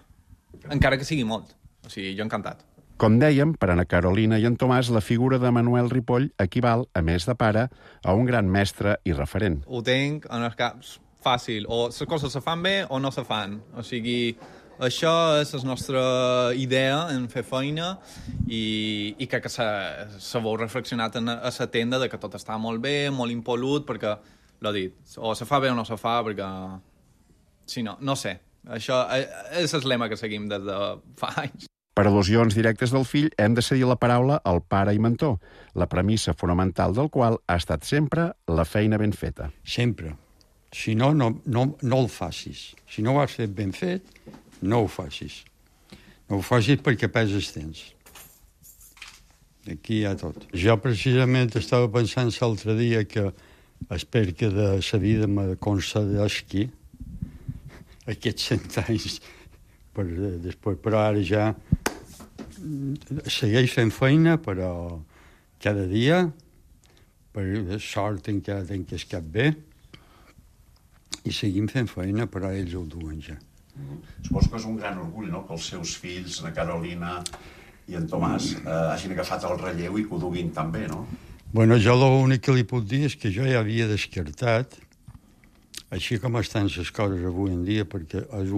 Encara que sigui molt, o sigui, jo encantat. Com dèiem, per Ana Carolina i en Tomàs, la figura de Manuel Ripoll equival, a més de pare, a un gran mestre i referent. Ho tinc en els caps fàcil, o les coses se fan bé o no se fan. O sigui, això és la nostra idea en fer feina i crec que s'ha reflexionat a la tenda de que tot està molt bé, molt impolut, perquè, l'ho dit, o se fa bé o no se fa, perquè... Si no, no sé. Això és el lema que seguim des de fa anys. Per al·lusions directes del fill, hem de cedir la paraula al pare i mentor, la premissa fonamental del qual ha estat sempre la feina ben feta. Sempre. Si no el facis. Si no ho has fet ben fet, no ho facis. No ho facis perquè peses temps. Aquí hi ha tot. Jo precisament estava pensant l'altre dia que espero que de la vida me concedeixi aquests 100 anys després, però ara ja segueix fent feina, però cada dia, per sort encara tenc el cap bé, i seguim fent feina, però ells ho duen ja. Suposo que és un gran orgull, no?, que els seus fills, la Carolina i en Tomàs, hagin agafat el relleu i que ho duguin tan bé, no? Bueno, jo l'únic que li puc dir és que jo ja havia descartat, així com estan les coses avui en dia, perquè és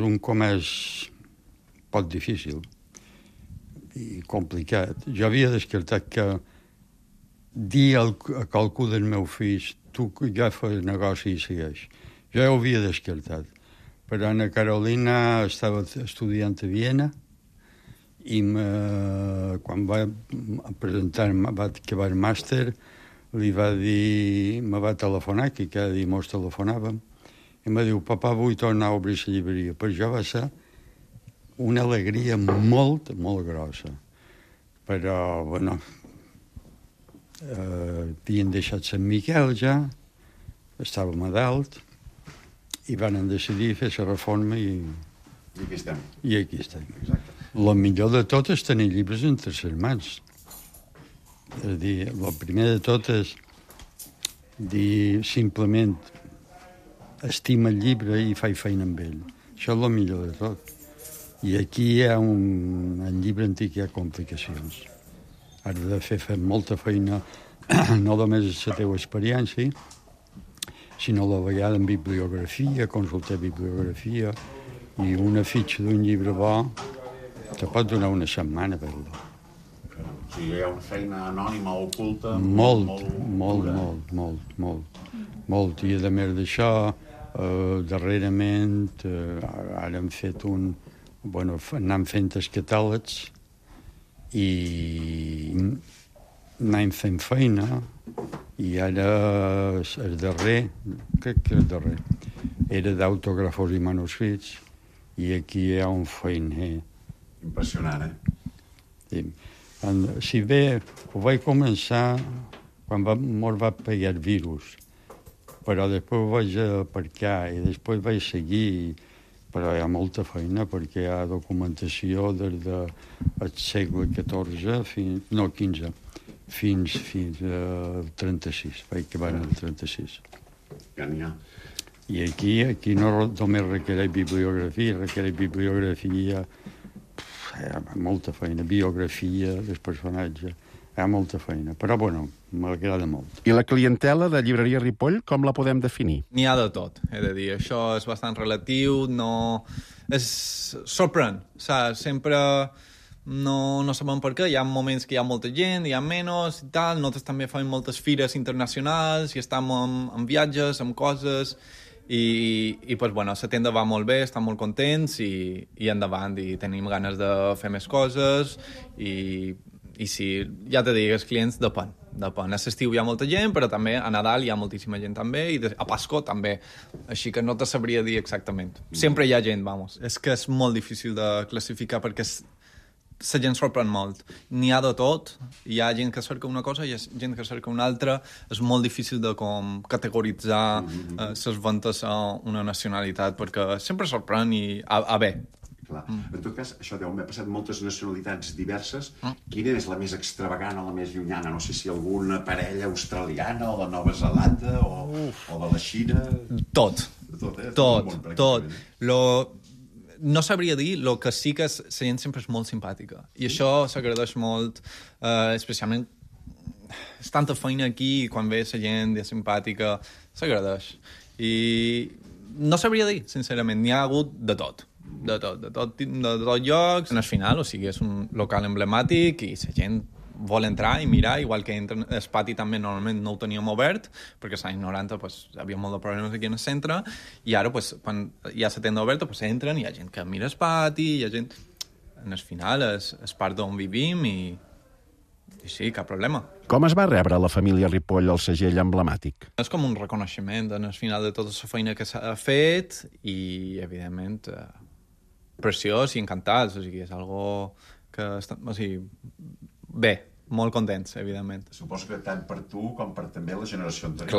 un comerç poc difícil i complicat. Jo havia descartat que dir a qualcú del meu fill tu ja fas negoci i segueix. Jo ja ho havia descartat. Però Ana Carolina estava estudiant a Viena i quan va presentar, va acabar el màster, me va telefonar, que cada dia mos telefonàvem, i em diu, papà, vull tornar a obrir la llibreria. Per jo va ser una alegria molt, molt grossa. Però, bueno, havien deixat Sant Miquel ja, estàvem a dalt, i van decidir fer la reforma i aquí estem. I aquí estem. Exacte. El millor de tot és tenir llibres entre les mans. És a dir, el primer de tot és dir simplement estima el llibre i faig feina amb ell. Això és el millor de tot. I aquí hi ha en llibre antic hi ha complicacions. Has de fer molta feina, no només la teva experiència, sinó a la vegada en bibliografia, consultar bibliografia, i una fitxa d'un llibre bo te pot donar una setmana per dir. O sigui, hi ha una feina anònima, oculta... Molt. I a més d'això, darrerament, ara hem fet anem fent els catàlegs i anem fent feina, i ara el darrer, crec que el darrer, era d'autògrafos i manuscrits, i aquí hi ha un feiner. Impressionant, Sí. Si bé ho vaig començar quan mos va pegar el virus, però després ho vaig aparcar i després vaig seguir, però hi ha molta feina perquè hi ha documentació des del segle XIV, no, XV, fins al 36, vaig acabar en el 36. Ja n'hi ha. I aquí no només requereix bibliografia, hi ha molta feina, biografia del personatge, hi ha molta feina, però bueno, m'agrada molt. I la clientela de Llibreria Ripoll, com la podem definir? N'hi ha de tot, he de dir. Això és bastant relatiu, no... sorprèn, saps? Sempre no sabem per què. Hi ha moments que hi ha molta gent, hi ha menys i tal. Nosaltres també fem moltes fires internacionals i estem en viatges, amb coses... I pues, bueno, la tenda va molt bé, estem molt contents i endavant, i tenim ganes de fer més coses i sí, ja t'he dit, els clients depèn. A l'estiu hi ha molta gent, però també a Nadal hi ha moltíssima gent també, i a Pasco també, així que no te sabria dir exactament. Sempre hi ha gent, vamos. És que és molt difícil de classificar perquè la gent sorprèn molt. N'hi ha de tot, hi ha gent que cerca una cosa i hi ha gent que cerca una altra. És molt difícil de com categoritzar les ventes a una nacionalitat, perquè sempre sorprèn i a bé. Clar. En tot cas, això deu haver passat moltes nacionalitats diverses. Quina és la més extravagant o la més llunyana? No sé si alguna parella australiana o de Nova Zelanda o de la Xina... Tot. No sabria dir, el que sí que la gent sempre és molt simpàtica. I això s'agradeix molt, especialment és tanta feina aquí i quan ve la gent és simpàtica, s'agradeix. I no sabria dir, sincerament, n'hi ha hagut de tot llocs. En el final, o sigui, és un local emblemàtic i la gent vol entrar i mirar, igual que el pati també normalment no ho teníem obert, perquè als anys 90 pues, hi havia molt de problemes aquí en el centre, i ara pues, quan hi ha la tenda oberta pues, entren, hi ha gent que mira el pati, hi ha gent... En el final és part d'on vivim i sí, cap problema. Com es va rebre la família Ripoll el segell emblemàtic? És com un reconeixement en el final de tota la feina que s'ha fet i, evidentment, preciós i encantats, o sigui, és algo que... O sigui, bé, molt contents, evidentment. Suposo que tant per tu com per també la generació anterior.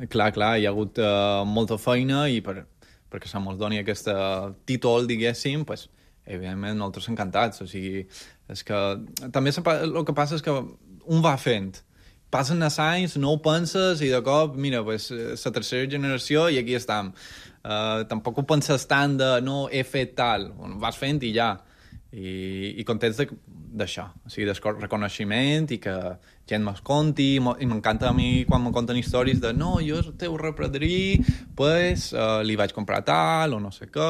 Clar, hi ha hagut molta feina i perquè se mos doni aquest títol, diguéssim, pues, evidentment, nosaltres encantats. O sigui, és que també el que passa és que un va fent. Passen els anys, no ho penses i de cop, mira, pues, la tercera generació i aquí estem. Tampoc ho penses tant de no he fet tal. Vas fent i ja. I contents d'això, o sigui, del reconeixement i que gent me'ls conti, i m'encanta a mi quan me conten històries de no, jo el teu repadrí, pues, li vaig comprar tal, o no sé què,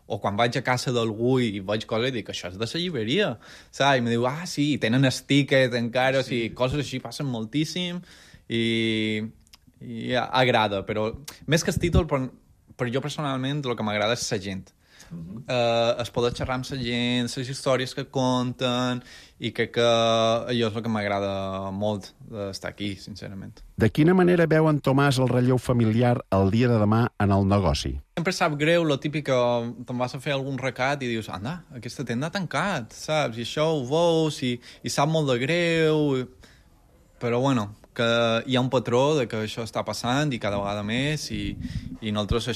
o quan vaig a casa d'algú i vaig coses i dic, això és de la llibreria, saps? I em diu, sí, tenen el tiquet encara, o sigui, coses així passen moltíssim i agrada, però més que el títol, per jo personalment, el que m'agrada és la gent. Es poder xerrar amb la gent, les històries que conten, i crec que allò és el que m'agrada molt d'estar aquí, sincerament. De quina manera veu en Tomàs el relleu familiar el dia de demà en el negoci? Sempre sap greu, lo típic que te'n vas a fer algun recat i dius, anda, aquesta tenda ha tancat, saps? I això ho veus i sap molt de greu, però bueno, que hi ha un patró de que això està passant i cada vegada més i nosaltres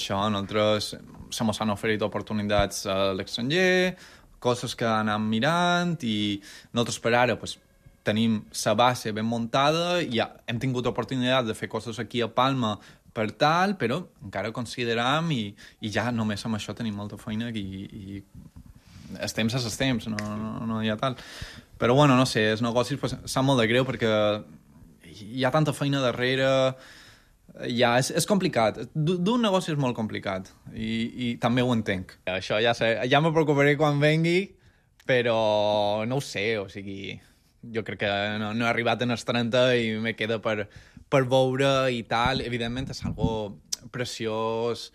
se mos han oferit oportunitats a l'estranger, coses que anem mirant i nosaltres per ara pues, tenim la base ben muntada i ja hem tingut oportunitat de fer coses aquí a Palma per tal, però encara consideram i ja només amb això tenim molta feina i els temps és els temps, no hi ha tal. Però bueno, no sé, els negocis pues, sap molt de greu perquè hi ha tanta feina darrere, ja és complicat. D'un negoci és molt complicat i també ho entenc. Això ja me preocuparé quan vengui, però no ho sé, o sigui, jo crec que no he arribat en els 30 i me queda per veure i tal. Evidentment és algo preciós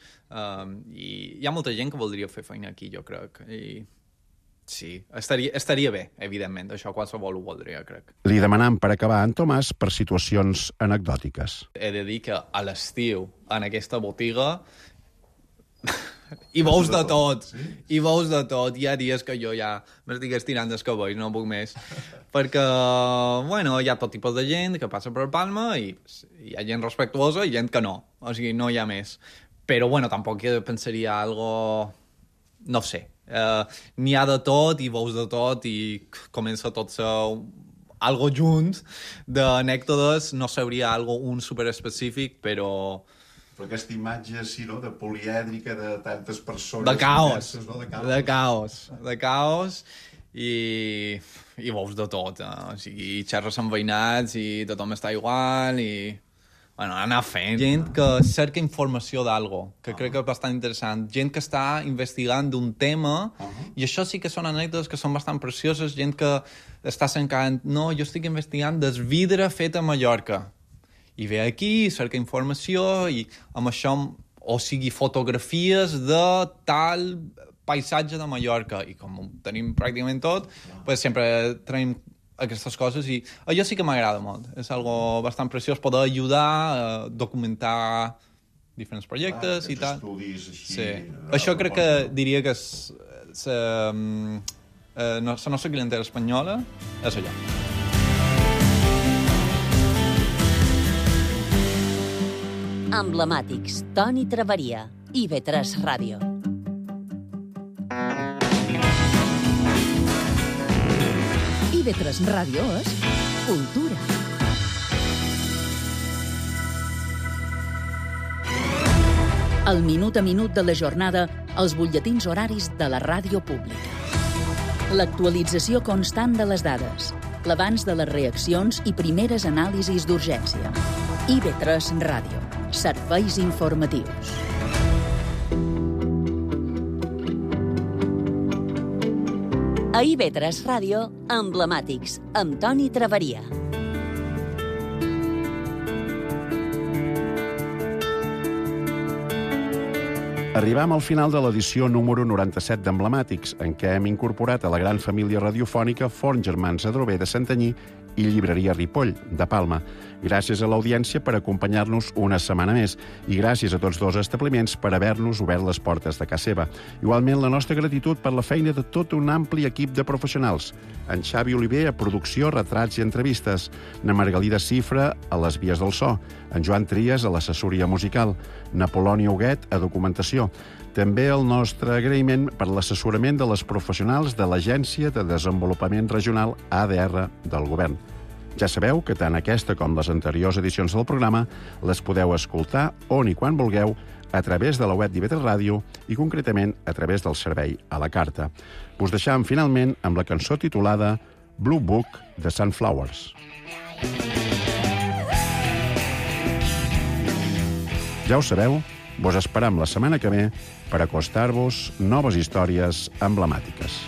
i hi ha molta gent que voldria fer feina aquí, jo crec, i sí, estaria bé, evidentment. Això qualsevol ho voldria, crec. Li demanam per acabar en Tomàs per situacions anecdòtiques. He de dir que a l'estiu, en aquesta botiga, hi veus de tot. Hi veus de tot. Hi ha dies que jo ja m'estic estirant dels cabells, no puc més. Perquè, bueno, hi ha tot tipus de gent que passa per Palma i hi ha gent respectuosa i gent que no. O sigui, no hi ha més. Però, bueno, tampoc pensaria algo... No sé. N'hi ha de tot i veus de tot i comença tot algo junt d'anècdotes, no sabria un superespecífic, però aquesta imatge, sí, no?, de polièdrica, de tantes persones... De caos, de caos i veus de tot, o sigui, xerres amb veïnats i tothom està igual i... Bueno, anar fent. Gent que cerca informació d'algo, que crec que és bastant interessant. Gent que està investigant d'un tema, i això sí que són anècdotes que són bastant precioses. Gent que està cercant, no, jo estic investigant del vidre fet a Mallorca. I ve aquí, cerca informació, i amb això, o sigui, fotografies de tal paisatge de Mallorca. I com ho tenim pràcticament tot, pues sempre tenim aquestes coses i allò sí que m'agrada molt. És algo bastant preciós poder ajudar a documentar diferents projectes i tal. Estudis així... Sí. Això crec que diria que la nostra clientela espanyola és allò. Emblemàtics, Toni Traveria, IB3 Ràdio. IB3 Ràdio és cultura. El minut a minut de la jornada, els butlletins horaris de la ràdio pública. L'actualització constant de les dades, l'abans de les reaccions i primeres anàlisis d'urgència. IB3 Ràdio, serveis informatius. A IB3 Ràdio, Emblemàtics, amb Toni Traveria. Arribam al final de l'edició número 97 d'Emblemàtics, en què hem incorporat a la gran família radiofònica Forn Germans Adrover de Santanyí i Llibreria Ripoll, de Palma. Gràcies a l'audiència per acompanyar-nos una setmana més i gràcies a tots dos establiments per haver-nos obert les portes de casa seva. Igualment, la nostra gratitud per la feina de tot un ampli equip de professionals. En Xavi Oliver a producció, retrats i entrevistes, na Margalida Cifra a les vies del so, en Joan Trias a l'assessoria musical, na Polònia Huguet a documentació. També el nostre agraïment per l'assessorament de les professionals de l'Agència de Desenvolupament Regional ADR del Govern. Ja sabeu que tant aquesta com les anteriors edicions del programa les podeu escoltar on i quan vulgueu a través de la web d'IV3 Ràdio i concretament a través del servei a la carta. Us deixam finalment amb la cançó titulada Blue Book de Sunflowers. Ja ho sabeu, vos esperam la setmana que ve per acostar-vos noves històries emblemàtiques.